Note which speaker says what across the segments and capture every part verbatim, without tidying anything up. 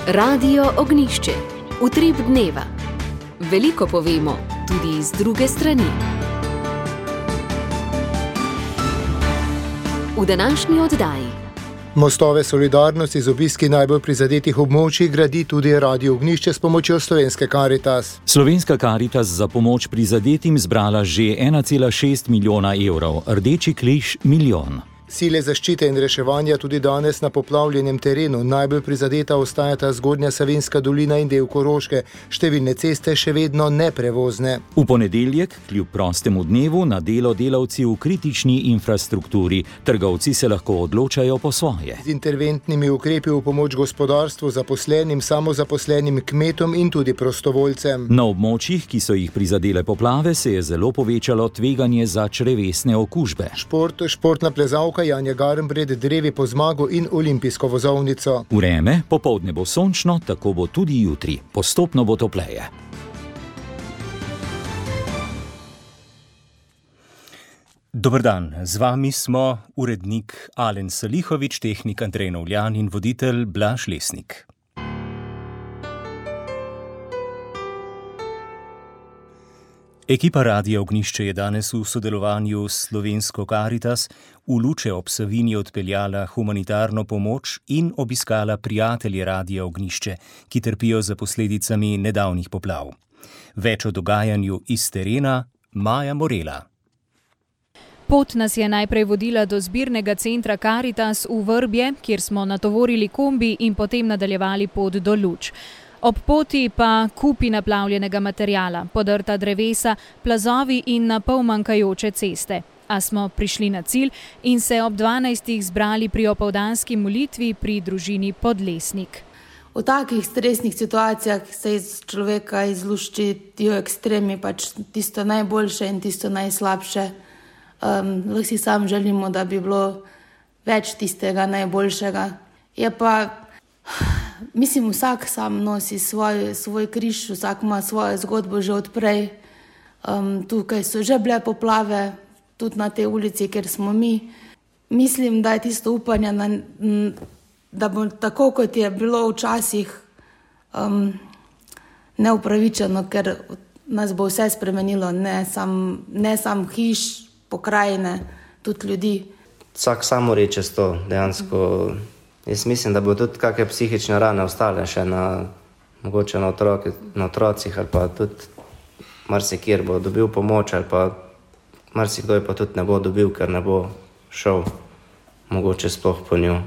Speaker 1: Radio Ognjišče. Utrip dneva. Veliko povemo, tudi z druge strani. V današnji oddaji.
Speaker 2: Mostove solidarnosti z obiski najbolj prizadetih območij gradi tudi Radio Ognjišče s pomočjo Slovenske Karitas.
Speaker 3: Slovenska Karitas za pomoč prizadetim zbrala že ena cela šest milijona evrov, Rdeči križ milijon.
Speaker 2: Sile zaščite in reševanja tudi danes na poplavljenem terenu. Najbolj prizadeta ostajata Zgornja Savinjska dolina in del Koroške. Številne ceste še vedno neprevozne.
Speaker 3: V ponedeljek, kljub prostemu dnevu, na delo delavci v kritični infrastrukturi. Trgovci se lahko odločajo po svoje.
Speaker 2: Z interventnimi ukrepi v pomoč gospodarstvu, zaposlenim, samozaposlenim, kmetom in tudi prostovoljcem.
Speaker 3: Na območjih, ki so jih prizadele poplave, se je zelo povečalo tveganje za črevesne okužbe.
Speaker 2: Šport, športna plezalka Janja Garnbret drevi po zmago in olimpijsko vozovnico.
Speaker 3: Vreme, popoldne bo sončno, tako bo tudi jutri. Postopno bo topleje.
Speaker 4: Dober dan, z vami smo urednik Alen Salihovič, tehnik Andrej Novljan in voditelj Blaž Lesnik. Ekipa Radia Ognjišče je danes v sodelovanju s Slovensko Karitas v Luče ob Savinji odpeljala humanitarno pomoč in obiskala prijatelje Radia Ognjišče, ki trpijo za posledicami nedavnih poplav. Več o dogajanju iz terena Maja Morela.
Speaker 5: Pot nas je najprej vodila do zbirnega centra Karitas v Vrbje, kjer smo natovorili kombi in potem nadaljevali pot do Luč. Ob poti pa kupi naplavljenega materiala, podrta drevesa, plazovi in na pol manjkajoče ceste. A smo prišli na cilj in se ob dvanajstih zbrali pri opoldanski molitvi pri družini Podlesnik.
Speaker 6: V takih stresnih situacijah se iz človeka izluščijo ekstremi, pač tisto najboljše in tisto najslabše. Um, lahko si sam želimo, da bi bilo več tistega najboljšega. Je pa... Mislim, vsak sam nosi svoj, svoj križ, vsak ima svojo zgodbo že odprej. Um, tukaj so že bile poplave, tudi na tej ulici, kjer smo mi. Mislim, da je tisto upanje, na, da bo tako, kot je bilo včasih, um, neupravičeno, ker nas bo vse spremenilo, ne sam, ne sam hiš, pokrajine, tudi ljudi.
Speaker 7: Vsak samo reče to dejansko. Jaz mislim, da bo tudi kakšne psihične rane ostale še na, mogoče na, otroki, na otrocih ali pa tudi marsikjer bo dobil pomoč ali pa marsikdo pa tudi ne bo dobil, ker ne bo šel mogoče sploh po njo.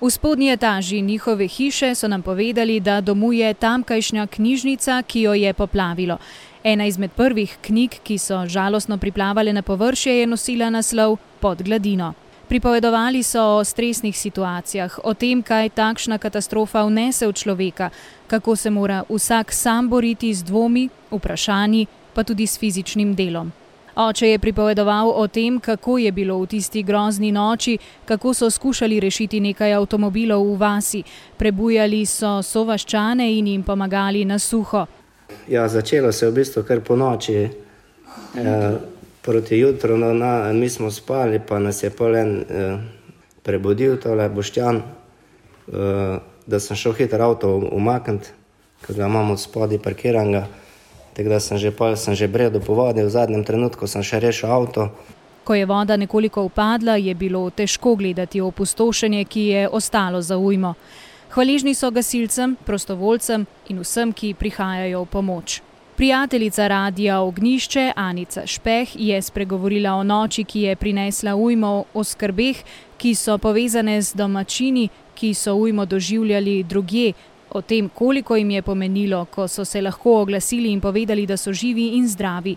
Speaker 5: V spodnji etaži njihove hiše so nam povedali, da domuje tamkajšnja knjižnica, ki jo je poplavilo. Ena izmed prvih knjig, ki so žalostno priplavale na površje, je nosila naslov Pod gladino. Pripovedovali so o stresnih situacijah, o tem, kaj takšna katastrofa vnese v človeka, kako se mora vsak sam boriti z dvomi, vprašanji, pa tudi s fizičnim delom. Oče je pripovedoval o tem, kako je bilo v tisti grozni noči, kako so skušali rešiti nekaj avtomobilov v vasi, prebujali so sovaščane in jim pomagali na suho.
Speaker 7: Ja, začelo se je v bistvu kar po noči. Eh, Proti jutru, no, na, mi smo spali, pa nas je pol en eh, prebudil tole Boštjan, eh, da sem šel hitro avto umakniti, ker ga imam od spodaj parkiranga, tako da sem že, pol, sem že bredo po vodi, v zadnjem trenutku sem še rešil avto.
Speaker 5: Ko je voda nekoliko upadla, je bilo težko gledati opustošenje, ki je ostalo za ujmo. Hvaležni so gasilcem, prostovoljcem in vsem, ki prihajajo v pomoč. Prijateljica Radia Ognjišče, Anica Špeh, je spregovorila o noči, ki je prinesla ujmo, o skrbeh, ki so povezane z domačini, ki so ujmo doživljali drugje, o tem, koliko jim je pomenilo, ko so se lahko oglasili in povedali, da so živi in zdravi.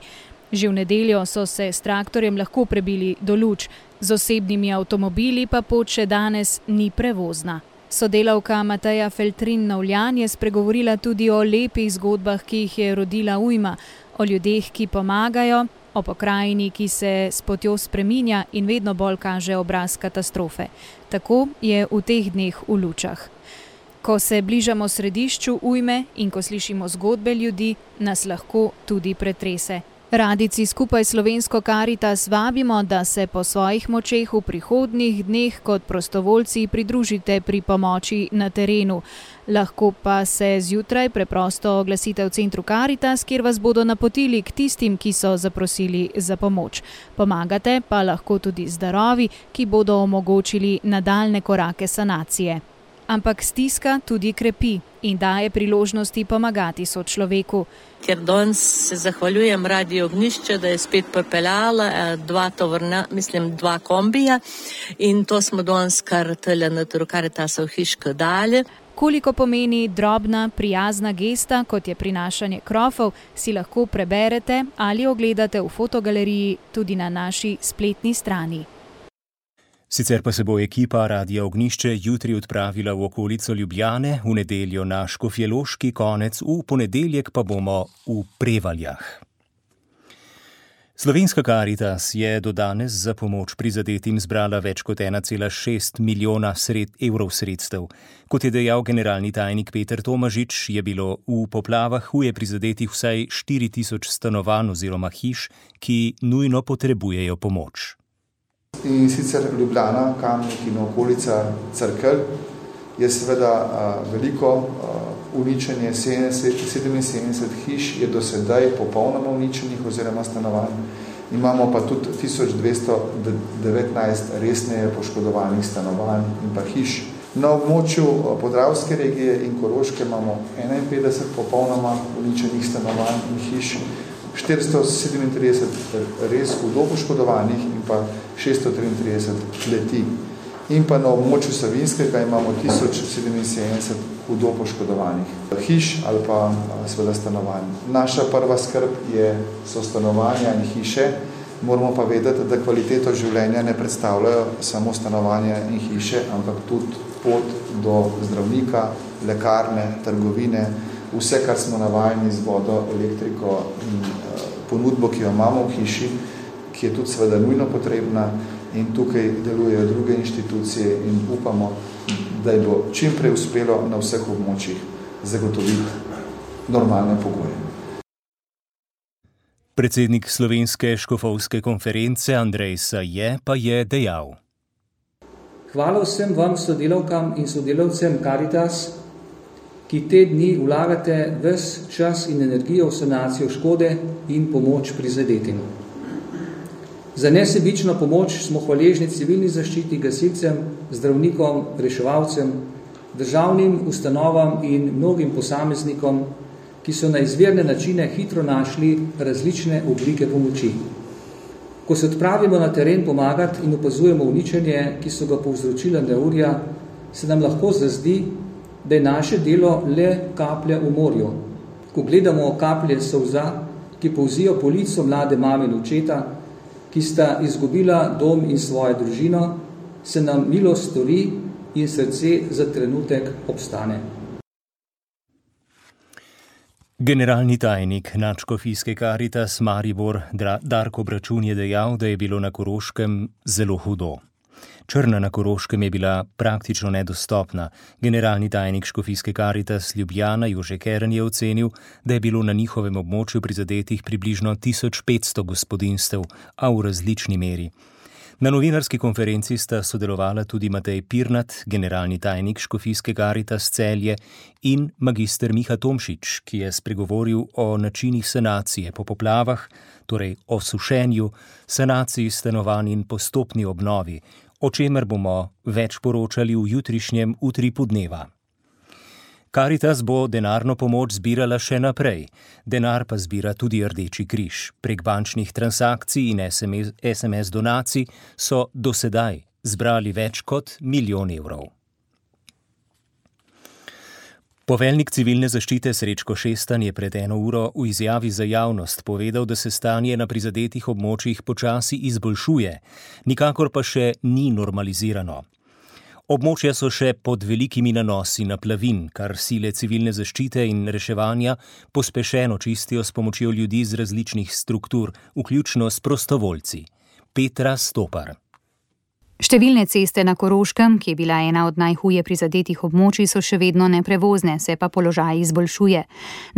Speaker 5: Že v nedeljo so se s traktorjem lahko prebili do Luč, z osebnimi avtomobili pa pot še danes ni prevozna. Sodelavka Mateja Feltrin-Novljan je spregovorila tudi o lepih zgodbah, ki jih je rodila ujma, o ljudeh, ki pomagajo, o pokrajini, ki se s potjo spreminja in vedno bolj kaže obraz katastrofe. Tako je v teh dneh v Lučah. Ko se bližamo središču ujme in ko slišimo zgodbe ljudi, nas lahko tudi pretrese. Radijci skupaj Slovensko Karitas vabimo, da se po svojih močeh v prihodnjih dneh kot prostovoljci pridružite pri pomoči na terenu. Lahko pa se zjutraj preprosto oglasite v centru Karitas, kjer vas bodo napotili k tistim, ki so zaprosili za pomoč. Pomagate pa lahko tudi z darovi, ki bodo omogočili nadaljne korake sanacije. Ampak stiska tudi krepi in daje priložnosti pomagati sočloveku.
Speaker 8: Ker danes se zahvaljujem Radiu Ognjišče, da je spet pripeljala dva tovorna, mislim, dva kombija in to smo danes kar tele na Karitasov hiško dali.
Speaker 5: Koliko pomeni drobna, prijazna gesta, kot je prinašanje krofov, si lahko preberete ali ogledate v fotogaleriji tudi na naši spletni strani.
Speaker 4: Sicer pa se bo ekipa Radia Ognjišče jutri odpravila v okolico Ljubljane, v nedeljo na Škofjeloški konec, v ponedeljek pa bomo v Prevaljah. Slovenska Karitas je do danes za pomoč prizadetim zbrala več kot ena cela šest milijona sred, evrov sredstev. Kot je dejal generalni tajnik Peter Tomažič, je bilo v poplavah huje prizadetih vsaj štiri tisoč stanovanj oziroma hiš, ki nujno potrebujejo pomoč.
Speaker 9: In sicer Ljubljana, Kamnik in okolica Cerkelj je seveda a, veliko a, uničenje, sedeminsedemdeset hiš je do sedaj popolnoma uničenih oziroma stanovanj. Imamo pa tudi tisoč dvesto devetnajst resneje poškodovanih stanovanj in pa hiš. Na območju Podravske regije in Koroške imamo enainpetdeset popolnoma uničenih stanovanj in hiš, štiristo sedemintrideset res hudo poškodovanih in pa šeststo triintrideset kleti. In pa na območju Savinjskega imamo tisoč sedeminsedemdeset hudo poškodovanih hiš ali pa seveda stanovanj. Naša prva skrb je, so stanovanja in hiše. Moramo pa vedeti, da kvaliteto življenja ne predstavljajo samo stanovanja in hiše, ampak tudi pot do zdravnika, lekarne, trgovine, vse, kar smo navajeni z vodo, elektriko in ponudbo, ki jo imamo v hiši, ki je tudi seveda nujno potrebna in tukaj delujejo druge inštitucije in upamo, da je bo čim prej uspelo na vseh območjih zagotoviti normalne pogoje.
Speaker 4: Predsednik Slovenske škofovske konference Andrej Saje pa je dejal:
Speaker 10: Hvala vsem vam sodelavkam in sodelavcem Karitas, ki te dni vlagate ves čas in energijo v sanacijo škode in pomoč prizadetim. Za nesebično pomoč smo hvaležni civilni zaščiti, gasilcem, zdravnikom, reševalcem, državnim ustanovam in mnogim posameznikom, ki so na izvirne načine hitro našli različne oblike pomoči. Ko se odpravimo na teren pomagati in opazujemo uničenje, ki so ga povzročila neurja, se nam lahko zazdi, da je naše delo le kaplja v morju. Ko gledamo kaplje solza, ki polzijo po licu mlade mame in očeta, ki sta izgubila dom in svojo družino, se nam milost stori in srce za trenutek obstane.
Speaker 4: Generalni tajnik Nadškofijske Karitas Maribor Darko Bračun je dejal, da je bilo na Koroškem zelo hudo. Črna na Koroškem je bila praktično nedostopna. Generalni tajnik Škofijske Karitas Ljubljana Jože Keren je ocenil, da je bilo na njihovem območju prizadetih približno tisoč petsto gospodinjstev, a v različni meri. Na novinarski konferenci sta sodelovala tudi Matej Pirnat, generalni tajnik Škofijske Karitas Celje, in magister Miha Tomšič, ki je spregovoril o načinih sanacije po poplavah, torej o sušenju, sanaciji stanovanj in postopni obnovi, o čemer bomo več poročali v jutrišnjem Utripu dneva. Karitas bo denarno pomoč zbirala še naprej. Denar pa zbira tudi Rdeči križ. Prek bančnih transakcij in es em es donacij so do sedaj zbrali več kot milijon evrov. Poveljnik civilne zaščite Srečko Šestan je pred eno uro v izjavi za javnost povedal, da se stanje na prizadetih območjih počasi izboljšuje, nikakor pa še ni normalizirano. Območja so še pod velikimi nanosi naplavin, kar sile civilne zaščite in reševanja pospešeno čistijo s pomočjo ljudi z različnih struktur, vključno s prostovoljci. Petra Stopar.
Speaker 11: Številne ceste na Koroškem, ki je bila ena od najhuje prizadetih območij, so še vedno neprevozne, se pa položaj izboljšuje.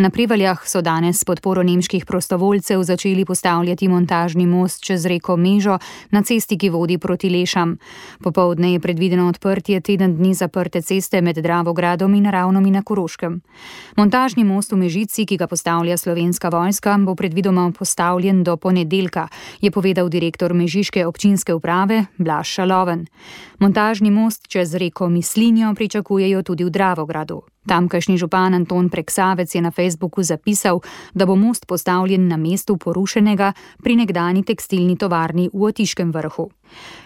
Speaker 11: Na Prevaljah so danes s podporo nemških prostovoljcev začeli postavljati montažni most čez reko Mežo na cesti, ki vodi proti Lešam. Popoldne je predvideno odprtje teden dni zaprte ceste med Dravogradom in Ravnom na Koroškem. Montažni most v Mežici, ki ga postavlja Slovenska vojska, bo predvidoma postavljen do ponedeljka, je povedal direktor mežiške občinske uprave Blaž Šaloven. Montažni most čez reko Mislinjo pričakujejo tudi v Dravogradu. Tamkajšnji župan Anton Preksavec je na Facebooku zapisal, da bo most postavljen na mestu porušenega pri nekdani tekstilni tovarni v Otiškem Vrhu.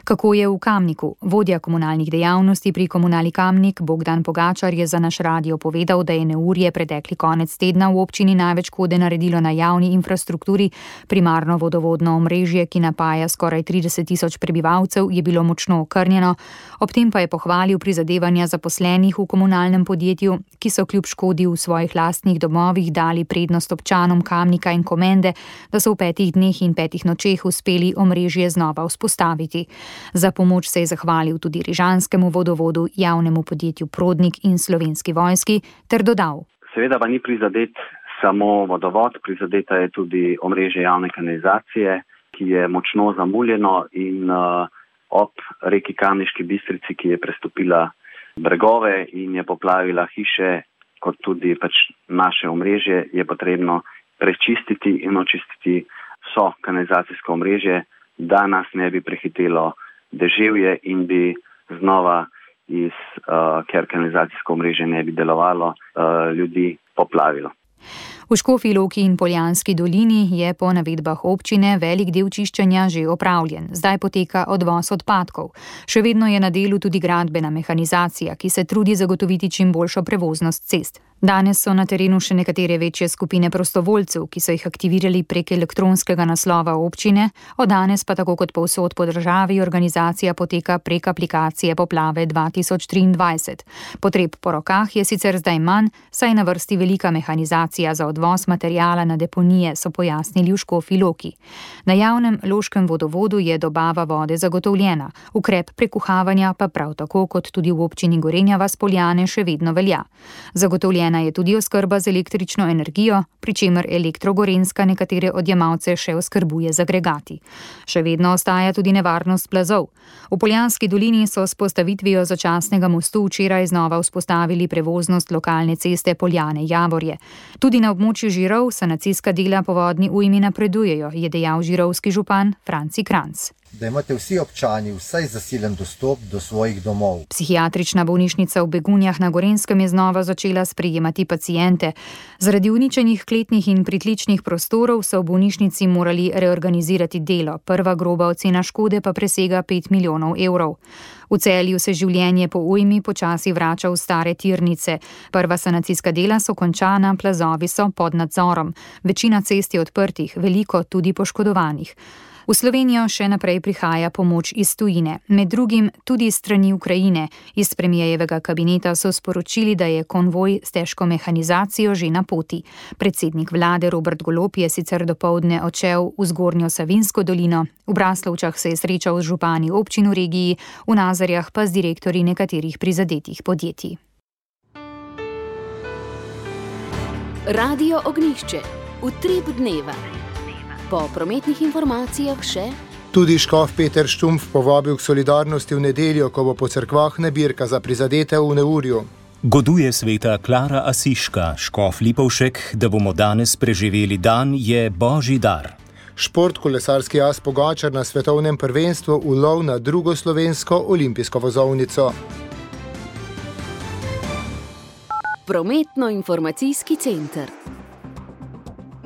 Speaker 11: Kako je v Kamniku? Vodja komunalnih dejavnosti pri Komunali Kamnik Bogdan Pogačar je za naš radio povedal, da je neurje pretekli konec tedna v občini največ škode naredilo na javni infrastrukturi. Primarno vodovodno omrežje, ki napaja skoraj trideset tisoč prebivalcev, je bilo močno okrnjeno. Ob tem pa je pohvalil prizadevanja zaposlenih v komunalnem podjetju, ki so kljub škodi v svojih lastnih domovih dali prednost občanom Kamnika in Komende, da so v petih dneh in petih nočeh uspeli omrežje znova vzpostaviti. Za pomoč se je zahvalil tudi rižanskemu vodovodu, javnemu podjetju Prodnik in Slovenski vojski ter dodal:
Speaker 12: Seveda pa ni prizadet samo vodovod, prizadeta je tudi omrežje javne kanalizacije, ki je močno zamuljeno in uh, ob reki Kamniški Bistrici, ki je prestopila bregove in je poplavila hiše, kot tudi pač naše omrežje, je potrebno prečistiti in očistiti vso kanalizacijsko omrežje, da nas ne bi prehitelo deževje in bi znova, iz, uh, ker kanalizacijsko omrežje ne bi delovalo, uh, ljudi poplavilo.
Speaker 11: V Škofji Loki in Poljanski dolini je po navedbah občine velik del čiščenja že opravljen. Zdaj poteka odvoz odpadkov. Še vedno je na delu tudi gradbena mehanizacija, ki se trudi zagotoviti čim boljšo prevoznost cest. Danes so na terenu še nekatere večje skupine prostovoljcev, ki so jih aktivirali prek elektronskega naslova občine, od danes pa tako kot povsod po državi organizacija poteka prek aplikacije Poplave dva tisoč triindvajset. Potreb po rokah je sicer zdaj manj, saj je na vrsti velika mehanizacija za odvoz materijala na deponije, so pojasnili v Škofji Loki. Na javnem loškem vodovodu je dobava vode zagotovljena, ukrep prekuhavanja pa prav tako kot tudi v občini Gorenja vas Poljane še vedno velja. Zagotovljena je tudi oskrba z električno energijo, pri čemer Elektro Gorenjska nekatere odjemalce še oskrbuje z agregati. Še vedno ostaja tudi nevarnost plazov. V Poljanski dolini so s postavitvijo začasnega mostu včeraj znova vzpostavili prevoznost lokalne ceste Poljane-Javorje. Tudi na območju Žirov sanacijska dela po vodni ujmi napredujejo, je dejal žirovski župan Franci Kranc.
Speaker 13: Da imate vsi občani vsaj zasilen dostop do svojih domov.
Speaker 11: Psihiatrična bolnišnica v Begunjah na Gorenjskem je znova začela sprejemati paciente. Zaradi uničenih kletnih in pritličnih prostorov so v bolnišnici morali reorganizirati delo. Prva groba ocena škode pa presega pet milijonov evrov. V Celju se življenje po ujmi počasi vrača v stare tirnice. Prva sanacijska dela so končana, plazovi so pod nadzorom. Večina cest je odprtih, veliko tudi poškodovanih. V Slovenijo še naprej prihaja pomoč iz tujine, med drugim tudi iz strani Ukrajine. Iz premierjevega kabineta so sporočili, da je konvoj s težko mehanizacijo že na poti. Predsednik vlade Robert Golob je sicer dopoldne odšel v Zgornjo Savinjsko dolino. V Braslovčah se je srečal z župani občin v regiji, v Nazarjah pa z direktorji nekaterih prizadetih podjetij.
Speaker 1: Radio Ognjišče. Utrip dneva. Po prometnih informacijah še...
Speaker 2: Tudi škof Peter Štumpf povabil k solidarnosti v nedeljo, ko bo po cerkvah nebirka za prizadete v neurju.
Speaker 4: Goduje sveta Klara Asiška, škof Lipovšek, da bomo danes preživeli dan, je božji dar.
Speaker 2: Šport kolesarski as Pogačar na svetovnem prvenstvu v lov na drugo slovensko olimpijsko vozovnico.
Speaker 1: Prometno-informacijski center.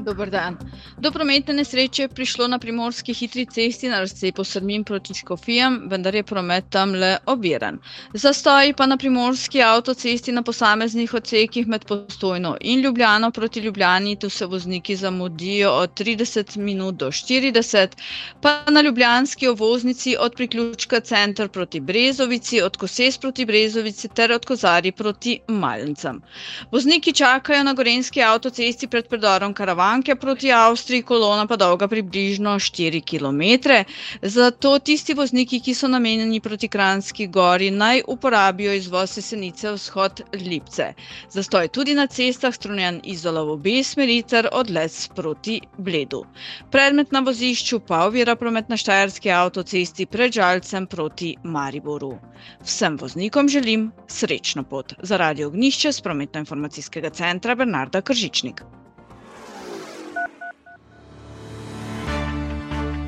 Speaker 14: Dober dan. Do prometne nesreče je prišlo na primorski hitri cesti na razcepu Strmin proti Škofijam, vendar je promet tam le oviran. Zastoji pa na primorski avtocesti na posameznih odsekih med Postojno in Ljubljano proti Ljubljani, tu se vozniki zamudijo od trideset minut do štirideset, pa na ljubljanski ovoznici od priključka Center proti Brezovici, od Koses proti Brezovici ter od Kozarji proti Malncem. Vozniki čakajo na gorenjski avtocesti pred predorom Karavanke proti Avstriji trikolona pa dolga približno štiri kilometre. Zato tisti vozniki, ki so namenjeni proti Kranjski gori, naj uporabijo izvoz Jesenice vzhod Lipce. Zastoj tudi na cestah Strunjan Izola v obe smeri ter Odlec proti Bledu. Predmet na vozišču pa ovira promet na Štajerski avtocesti pred Žalcem proti Mariboru. Vsem voznikom želim srečno pot. Za Radio Ognjišče s prometno-informacijskega centra Bernarda Kržičnik.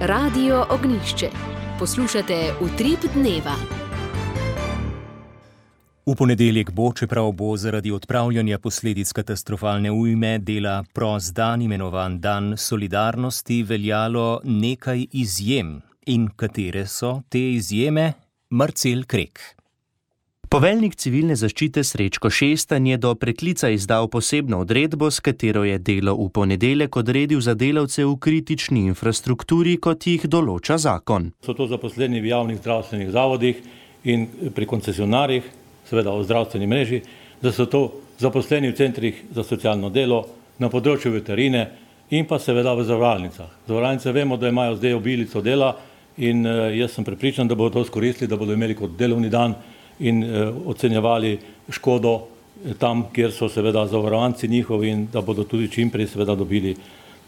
Speaker 1: Radio Ognjišče. Poslušate Utrip dneva.
Speaker 4: V ponedeljek bo, čeprav bo zaradi odpravljanja posledic katastrofalne ujme dela prost dan imenovan Dan solidarnosti, veljalo nekaj izjem. In katere so te izjeme? Marcel Krek.
Speaker 15: Poveljnik civilne zaščite Srečko Šestan je do preklica izdal posebno odredbo, s katero je delo v ponedeljek odredil za delavce v kritični infrastrukturi, kot jih določa zakon.
Speaker 16: So to zaposleni v javnih zdravstvenih zavodih in pri koncesionarjih, seveda v zdravstveni mreži, da so to zaposleni v centrih za socialno delo, na področju veterine in pa seveda v zavarovalnicah. Zavarovalnice vemo, da imajo zdaj obilico dela in jaz sem prepričan, da bodo to izkoristili, da bodo imeli kot delovni dan in eh, ocenjevali škodo tam, kjer so seveda zavarovanci njihovi in da bodo tudi čim prej seveda dobili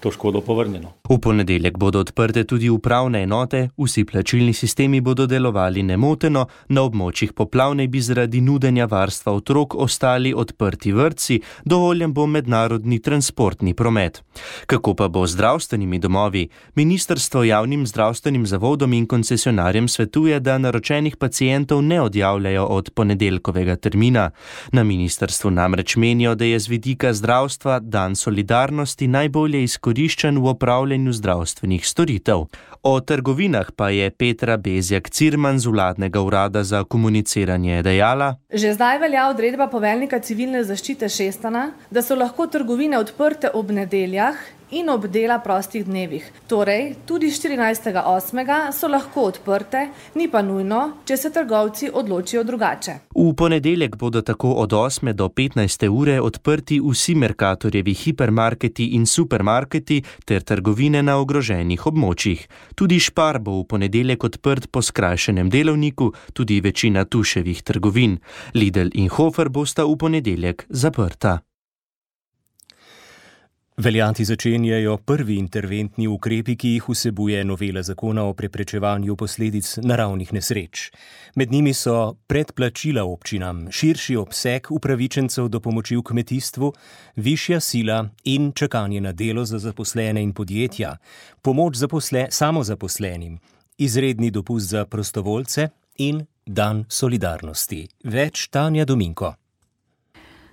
Speaker 16: to škodo povrnjeno.
Speaker 15: V ponedeljek bodo odprte tudi upravne enote, vsi plačilni sistemi bodo delovali nemoteno, na območjih poplav naj bi zaradi nudenja varstva otrok ostali odprti vrtci, dovoljen bo mednarodni transportni promet. Kako pa bo z zdravstvenimi domovi? Ministrstvo javnim zdravstvenim zavodom in koncesionarjem svetuje, da naročenih pacientov ne odjavljajo od ponedeljkovega termina. Na ministrstvu namreč menijo, da je z vidika zdravstva Dan solidarnosti najbolje izkoriščen v opravljanju zdravstvenih storitev. O trgovinah pa je Petra Bezjak-Cirman z vladnega urada za komuniciranje dejala:
Speaker 17: Že zdaj velja odredba poveljnika civilne zaščite Šestana, da so lahko trgovine odprte ob nedeljah in ob dela prostih dnevih. Torej, tudi štirinajstega osmega so lahko odprte, ni pa nujno, če se trgovci odločijo drugače.
Speaker 15: V ponedeljek bodo tako od osme do petnajste ure odprti vsi Mercatorjevi hipermarketi in supermarketi ter trgovine na ogroženih območjih. Tudi Spar bo v ponedeljek odprt po skrajšenem delovniku, tudi večina Tuševih trgovin. Lidl in Hofer bosta v ponedeljek zaprta.
Speaker 4: Veljati začenjajo prvi interventni ukrepi, ki jih vsebuje novela zakona o preprečevanju posledic naravnih nesreč. Med njimi so predplačila občinam, širši obseg upravičencev do pomoči v kmetijstvu, višja sila in čakanje na delo za zaposlene in podjetja, pomoč zaposle, samozaposlenim, izredni dopust za prostovoljce in Dan solidarnosti. Več Tanja Dominko.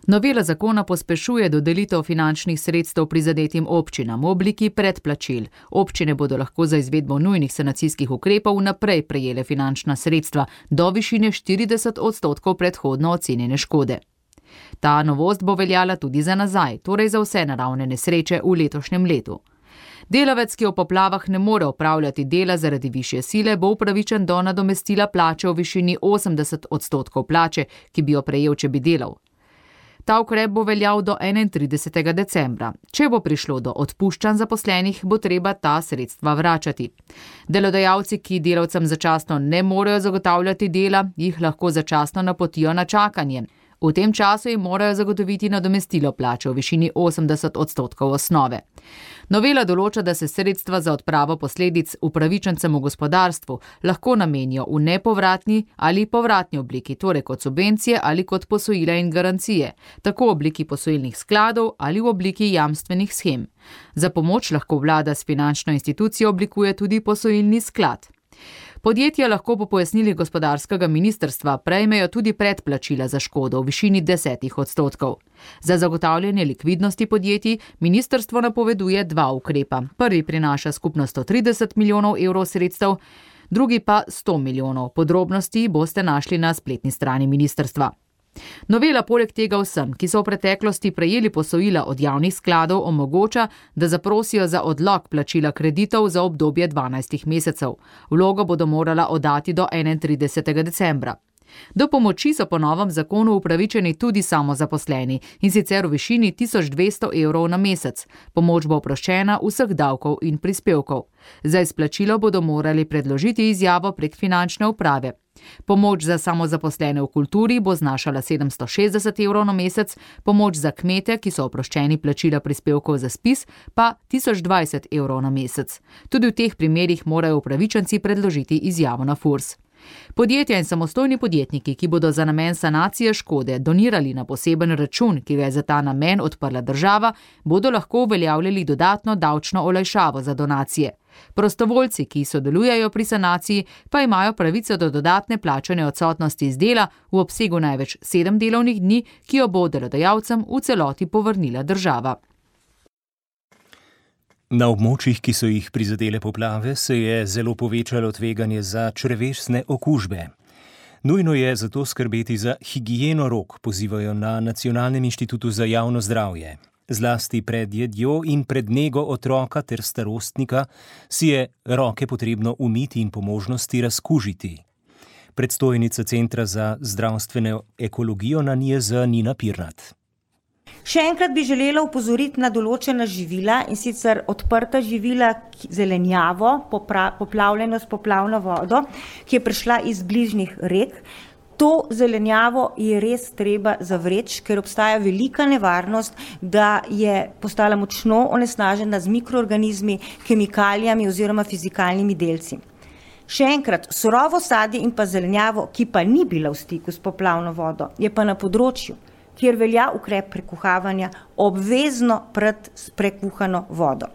Speaker 18: Novela zakona pospešuje dodelitev finančnih sredstev prizadetim občinam v obliki predplačil. Občine bodo lahko za izvedbo nujnih sanacijskih ukrepov naprej prejele finančna sredstva do višine štirideset odstotkov predhodno ocenjene škode. Ta novost bo veljala tudi za nazaj, torej za vse naravne nesreče v letošnjem letu. Delavec, ki v poplavah ne more opravljati dela zaradi višje sile, bo upravičen do nadomestila plače v višini osemdeset odstotkov plače, ki bi jo prejel, če bi delal. Ta ukrep bo veljal do enaintridesetega decembra. Če bo prišlo do odpuščanj zaposlenih, bo treba ta sredstva vračati. Delodajalci, ki delavcem začasno ne morejo zagotavljati dela, jih lahko začasno napotijo na čakanje. V tem času jim morajo zagotoviti nadomestilo plače v višini osemdeset odstotkov osnove. Novela določa, da se sredstva za odpravo posledic upravičencem v gospodarstvu lahko namenijo v nepovratni ali povratni obliki, torej kot subvencije ali kot posojila in garancije, tako v obliki posojilnih skladov ali v obliki jamstvenih shem. Za pomoč lahko vlada s finančno institucijo oblikuje tudi posojilni sklad. Podjetja lahko po pojasnilih gospodarskega ministrstva prejmejo tudi predplačila za škodo v višini desetih odstotkov. Za zagotavljanje likvidnosti podjetij ministrstvo napoveduje dva ukrepa. Prvi prinaša skupno sto trideset milijonov evrov sredstev, drugi pa sto milijonov. Podrobnosti boste našli na spletni strani ministrstva. Novela poleg tega vsem, ki so v preteklosti prejeli posojila od javnih skladov, omogoča, da zaprosijo za odlog plačila kreditov za obdobje dvanajstih mesecev. Vlogo bodo morala oddati do enaintridesetega decembra. Do pomoči so po novem zakonu upravičeni tudi samozaposleni, in sicer v višini tisoč dvesto evrov na mesec. Pomoč bo oproščena vseh davkov in prispevkov. Za izplačilo bodo morali predložiti izjavo prek finančne uprave. Pomoč za samozaposlene v kulturi bo znašala sedemsto šestdeset evrov na mesec, pomoč za kmete, ki so oproščeni plačila prispevkov za spis, pa tisoč dvajset evrov na mesec. Tudi v teh primerih morajo upravičenci predložiti izjavo na Furs. Podjetja in samostojni podjetniki, ki bodo za namen sanacije škode donirali na poseben račun, ki ga je za ta namen odprla država, bodo lahko uveljavljali dodatno davčno olajšavo za donacije. Prostovoljci, ki sodelujejo pri sanaciji, pa imajo pravico do dodatne plačane odsotnosti z dela v obsegu največ sedem delovnih dni, ki jo bo delodajalcem v celoti povrnila država.
Speaker 4: Na območjih, ki so jih prizadele poplave, se je zelo povečalo tveganje za črevesne okužbe. Nujno je zato skrbeti za higieno rok, pozivajo na Nacionalnem inštitutu za javno zdravje. Zlasti pred jedjo in pred nego otroka ter starostnika si je roke potrebno umiti in po možnosti razkužiti. Predstojnica Centra za zdravstveno ekologijo na N I E Z Nina Pirnat.
Speaker 19: Še enkrat bi želela upozoriti na določena živila, in sicer odprta živila, zelenjavo, poplavljeno s poplavno vodo, ki je prišla iz bližnjih rek. To zelenjavo je res treba zavreči, ker obstaja velika nevarnost, da je postala močno onesnažena z mikroorganizmi, kemikalijami oziroma fizikalnimi delci. Še enkrat, surovo sadje in pa zelenjavo, ki pa ni bila v stiku s poplavno vodo, je pa na področju, kjer velja ukrep prekuhavanja, obvezno pred prekuhano vodo.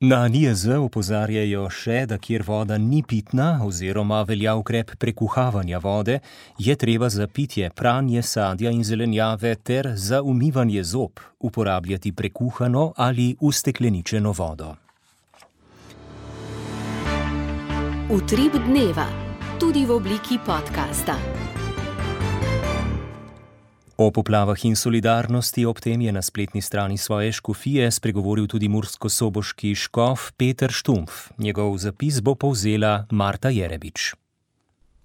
Speaker 4: Na N I E Z opozarjajo še, da kjer voda ni pitna oziroma velja ukrep prekuhavanja vode, je treba za pitje, pranje sadja in zelenjave ter za umivanje zob uporabljati prekuhano ali ustekleničeno vodo.
Speaker 1: Utrip dneva, tudi v obliki podcasta.
Speaker 4: O poplavah in solidarnosti ob tem je na spletni strani svoje škofije spregovoril tudi murskosoboški škof Peter Štumpf. Njegov zapis bo povzela Marta Jerebič.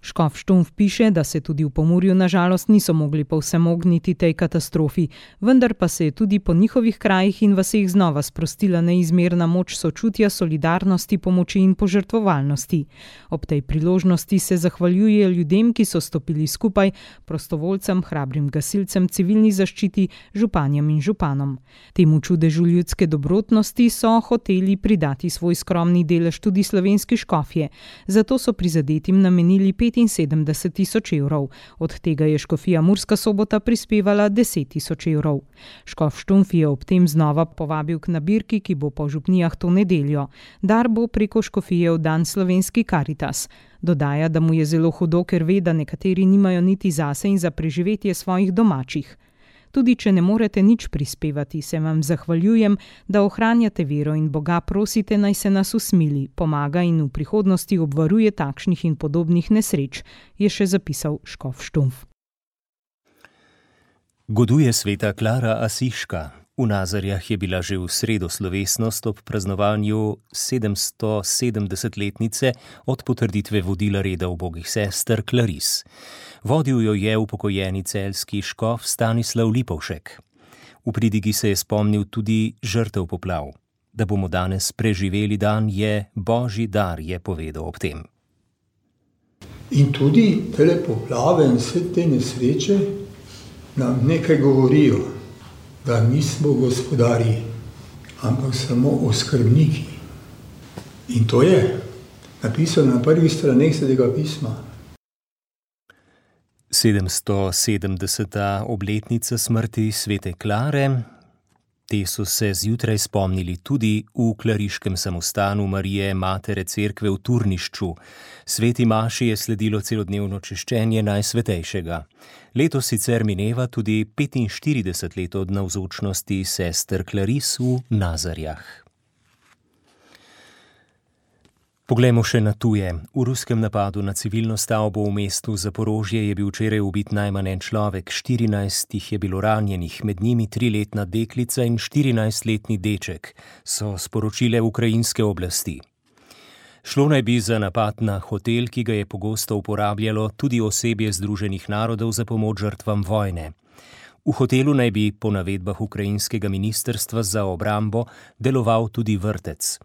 Speaker 20: Škof Štumpf piše, da se tudi v Pomurju na žalost niso mogli povsem ogniti tej katastrofi, vendar pa se je tudi po njihovih krajih in vaseh znova sprostila neizmerna moč sočutja, solidarnosti, pomoči in požrtvovalnosti. Ob tej priložnosti se zahvaljuje ljudem, ki so stopili skupaj, prostovoljcem, hrabrim gasilcem, civilni zaščiti, županjem in županom. Temu čudežu ljudske dobrotnosti so hoteli pridati svoj skromni delež tudi slovenski škofje, zato so prizadetim namenili petinsedemdeset tisoč evrov. Od tega je škofija Murska Sobota prispevala deset tisoč evrov. Škof Štumpf je ob tem znova povabil k nabirki, ki bo po župnijah to nedeljo. Dar bo preko škofije oddan slovenski Karitas. Dodaja, da mu je zelo hudo, ker ve, da nekateri nimajo niti zase in za preživetje svojih domačih. Tudi če ne morete nič prispevati, se vam zahvaljujem, da ohranjate vero in Boga prosite, naj se nas usmili, pomaga in v prihodnosti obvaruje takšnih in podobnih nesreč, je še zapisal škof Štumpf.
Speaker 4: Goduje sveta Klara Asiška. V Nazarjah je bila že v sredo slovesnost ob praznovanju sedemstosedemdesetletnice od potrditve vodila reda ubogih sester Klaris. Vodil jo je upokojeni celjski škof Stanislav Lipovšek. V pridigi se je spomnil tudi žrtev poplav. Da bomo danes preživeli dan, je božji dar, je povedal ob tem.
Speaker 21: In tudi tele poplave in vse te nesreče nam nekaj govorijo, da nismo gospodarji, ampak samo oskrbniki. In to je napisano na prvih straneh Svetega pisma.
Speaker 4: sedemstosedemdeseta obletnica smrti svete Klare. Te so se zjutraj spomnili tudi v klariškem samostanu Marije Matere Cerkve v Turnišču. Sveti maši je sledilo celodnevno čiščenje Najsvetejšega. Letos sicer mineva tudi petinštirideset let od navzočnosti sester Klaris v Nazarjah. Poglejmo še na tuje. V ruskem napadu na civilno stavbo v mestu Zaporožje je bil včeraj ubit najmanj en človek, štirinajst jih je bilo ranjenih, med njimi triletna deklica in štirinajstletni deček, so sporočile ukrajinske oblasti. Šlo naj bi za napad na hotel, ki ga je pogosto uporabljalo tudi osebje Združenih narodov za pomoč žrtvam vojne. V hotelu naj bi po navedbah ukrajinskega ministrstva za obrambo deloval tudi vrtec.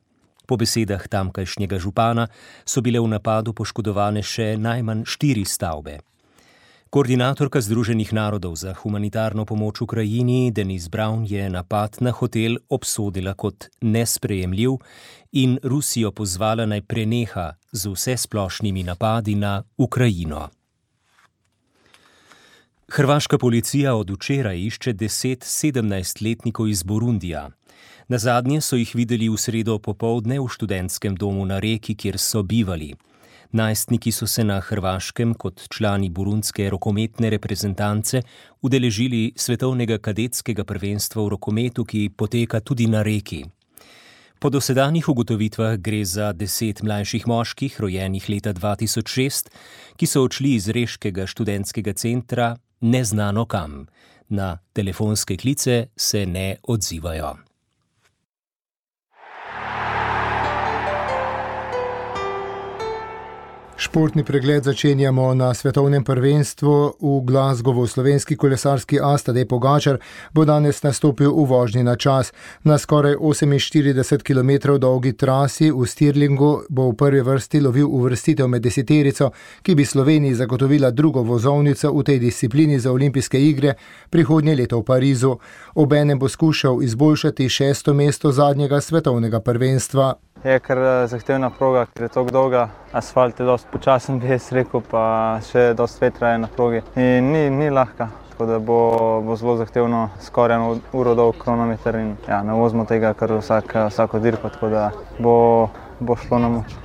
Speaker 4: Po besedah tamkajšnjega župana so bile v napadu poškodovane še najmanj štiri stavbe. Koordinatorka Združenih narodov za humanitarno pomoč Ukrajini Denise Brown je napad na hotel obsodila kot nesprejemljiv in Rusijo pozvala naj preneha z vsesplošnimi napadi na Ukrajino. Hrvaška policija od včeraj išče deset sedemnajstletnikov iz Burundija. Nazadnje so jih videli v sredo popoldne v študentskem domu na Reki, kjer so bivali. Najstniki so se na Hrvaškem kot člani burundske rokometne reprezentance udeležili svetovnega kadetskega prvenstva v rokometu, ki poteka tudi na Reki. Po dosedanjih ugotovitvah gre za deset mlajših moških, rojenih leta dva tisoč šest, ki so odšli iz reškega študentskega centra neznano kam. Na telefonske klice se ne odzivajo.
Speaker 2: Športni pregled začenjamo na svetovnem prvenstvu v Glasgowu. Slovenski kolesarski as Tadej Pogačar bo danes nastopil v vožnji na čas. Na skoraj oseminštirideset kilometrov dolgi trasi v Stirlingu bo v prvi vrsti lovil uvrstitev med deseterico, ki bi Sloveniji zagotovila drugo vozovnico v tej disciplini za olimpijske igre prihodnje leto v Parizu. Obenem bo skušal izboljšati šesto mesto zadnjega svetovnega prvenstva.
Speaker 3: Je kar zahtevna proga, ker je tako dolga, asfalt je dosti počasen, bi jaz rekel, pa še dosti vetra je na progi. In ni, ni lahka, tako da bo, bo zelo zahtevno, skoraj eno uro dolg kronometer in ja, ne vozimo tega kar vsak, vsako dirko, tako da bo, bo šlo na moč.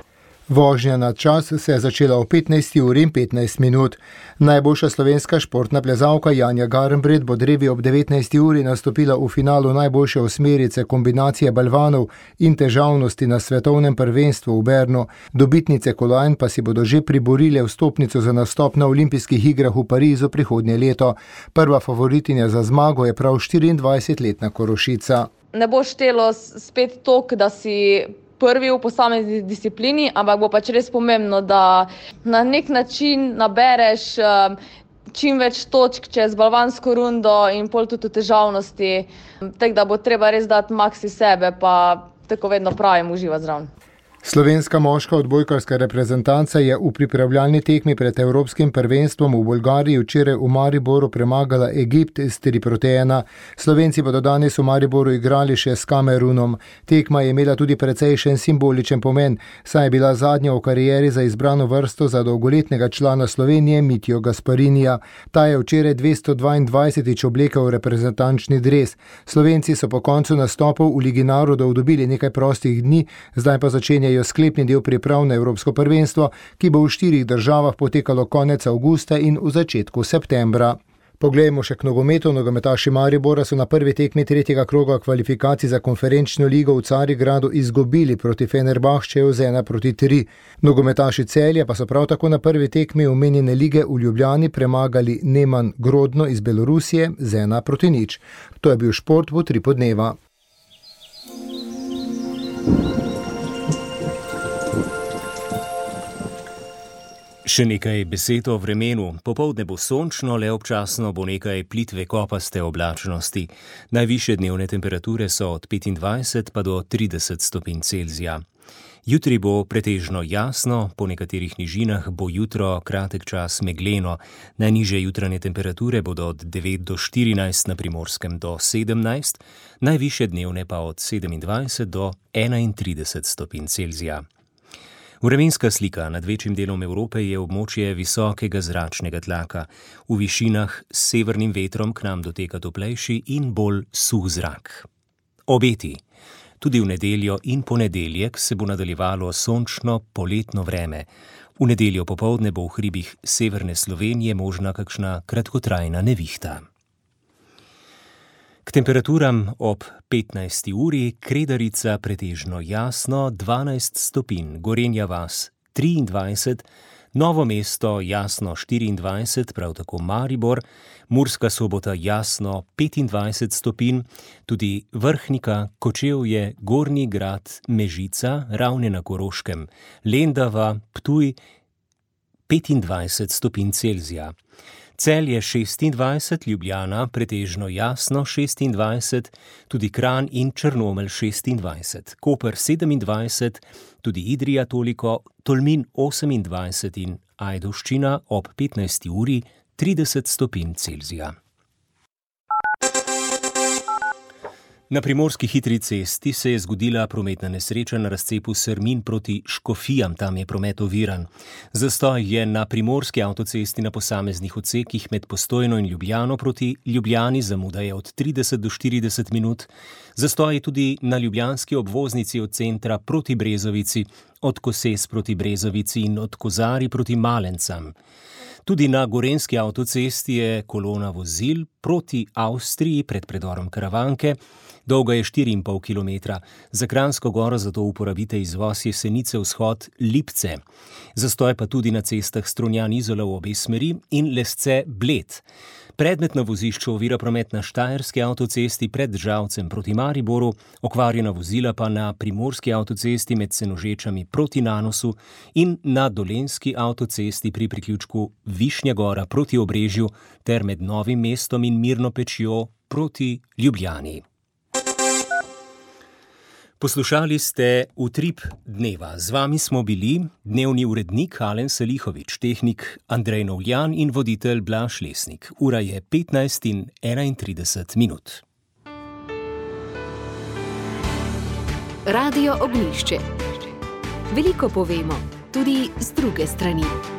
Speaker 2: Vožnja na čas se je začela o petnajsti uri in petnajst minut. Najboljša slovenska športna plezalka Janja Garnbret bo drevi ob devetnajsti uri nastopila v finalu najboljše osmerice kombinacije balvanov in težavnosti na svetovnem prvenstvu v Bernu. Dobitnice kolajn pa si bodo že priborile vstopnico za nastop na olimpijskih igrah v Parizu prihodnje leto. Prva favoritinja za zmago je prav štiriindvajsetletna Korošica.
Speaker 22: Ne bo štelo spet tok, da si prvi v posamezni disciplini, ampak bo pač res pomembno, da na nek način nabereš čim več točk čez balvansko rundo in pol tudi v težavnosti, tako da bo treba res dati maksi sebe, pa tako vedno pravim, uživati zraven.
Speaker 2: Slovenska moška odbojkarska reprezentanca je v pripravljalni tekmi pred evropskim prvenstvom v Bolgariji včeraj v Mariboru premagala Egipt s tri proti ena. Slovenci bodo danes v Mariboru igrali še s Kamerunom. Tekma je imela tudi precejšen simboličen pomen, saj je bila zadnja v karieri za izbrano vrsto za dolgoletnega člana Slovenije Mitjo Gasparinija. Ta je včeraj dvesto dvaindvajsetič oblekel reprezentančni dres. Slovenci so po koncu nastopov v Ligi narodov dobili nekaj prostih dni, zdaj pa začenja je sklepni del priprav na Evropsko prvenstvo, ki bo v štirih državah potekalo konec avgusta in v začetku septembra. Poglejmo še k nogometu. Nogometaši Maribora so na prvi tekmi tretjega kroga kvalifikacij za konferenčno ligo v Carigradu izgubili proti Fenerbahčeju z ena proti tri. Nogometaši Celja pa so prav tako na prvi tekmi omenjene lige v Ljubljani premagali Neman Grodno iz Belorusije z ena proti nič. To je bil šport v Utripu dneva.
Speaker 4: Še nekaj besed o vremenu. Popoldne bo sončno, le občasno bo nekaj plitve kopaste oblačnosti. Najvišje dnevne temperature so od petindvajset pa do trideset stopinj Celzija. Jutri bo pretežno jasno, po nekaterih nižinah bo jutro kratek čas megleno. Najnižje jutranje temperature bodo od devet do štirinajst, na Primorskem do sedemnajst, najvišje dnevne pa od sedemindvajset do enaintrideset stopinj Celzija. Vremenska slika nad večjim delom Evrope je območje visokega zračnega tlaka. V višinah s severnim vetrom k nam doteka toplejši in bolj suh zrak. Obeti. Tudi v nedeljo in ponedeljek se bo nadaljevalo sončno poletno vreme. V nedeljo popoldne bo v hribih severne Slovenije možna kakšna kratkotrajna nevihta. K temperaturam ob petnajsti uri Kredarica pretežno jasno dvanajst stopinj, Gorenja vas triindvajset, Novo mesto jasno štiriindvajset, prav tako Maribor, Murska Sobota jasno petindvajset stopinj, tudi Vrhnika, Kočevje, Gornji Grad, Mežica, Ravne na Koroškem, Lendava, Ptuj petindvajset stopinj Celzija. Celje šestindvajset, Ljubljana pretežno jasno šestindvajset, tudi Kranj in Črnomelj šestindvajset, Koper sedemindvajset, tudi Idrija toliko, Tolmin osemindvajset in Ajdovščina ob petnajsti uri trideset stopinj Celzija. Na primorski hitri cesti se je zgodila prometna nesreča na razcepu Srmin proti Škofijam, tam je promet oviran. Zastoj je na primorski avtocesti na posameznih odsekih med Postojno in Ljubljano proti Ljubljani, zamuda je od trideset do štirideset minut. Zastoj je tudi na ljubljanski obvoznici od centra proti Brezovici, od Koses proti Brezovici in od Kozari proti Malencam. Tudi na gorenjski avtocesti je kolona vozil proti Avstriji pred predorom Karavanke, dolga je štiri in pol kilometra. Za Kranjsko goro zato uporabite izvoz Jesenice vzhod Lipce. Zastoj pa tudi na cestah Strunjan-Izola v obe smeri in Lesce-Bled. Predmet na vozišču ovira promet na štajerski avtocesti pred Žalcem proti Mariboru, okvarjena vozila pa na primorski avtocesti med Senožečami proti Nanosu in na dolenjski avtocesti pri priključku Višnja Gora proti Obrežju ter med Novim mestom in Mirno Pečjo proti Ljubljani. Poslušali ste Utrip dneva. Z vami smo bili dnevni urednik Alen Salihovič, tehnik Andrej Novljan in voditelj Blaž Lesnik. Ura je petnajst in enaintrideset minut.
Speaker 1: Radio Ognjišče. Veliko povemo, tudi z druge strani.